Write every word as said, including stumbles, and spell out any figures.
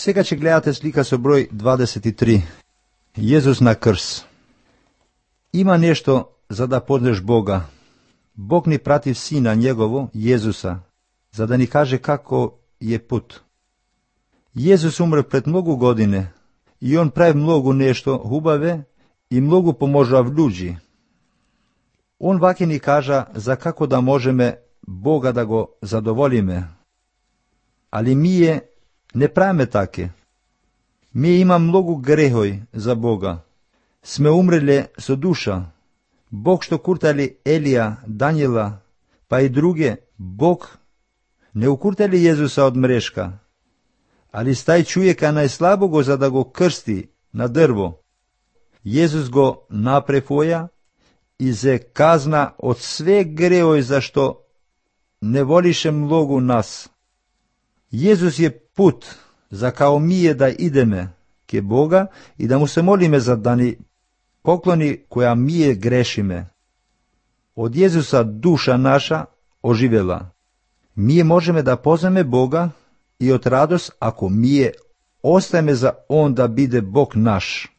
Сега ќе гледате слика со број дваесет и три. Језус на крс. Има нешто за да познеш Бога. Бог ни прати сина Негово, Језуса, за да ни каже како е пут. Језус умре пред многу години и он прави многу нешто хубаве и многу поможува луѓи. Он ваќе ни кажа за како да можеме Бога да го задоволиме. Али мие не правиме таке. Мие има многу грехој за Бога. Сме умреле со душа. Бог што куртали Елија, Даниела, па и друге, Бог не укуртали Језуса од мрешка, али стај човека најслабо го за да го крсти на дрво. Језус го напрефоја и зе казна од све греој зашто не волише многу нас. Језус е пут за као мие да идеме ке Бога и да му се молиме за да ни поклони која мие грешиме. Од Језуса душа наша оживела. Мие можеме да поземе Бога и од радост ако мие остаме за Он да биде Бог наш.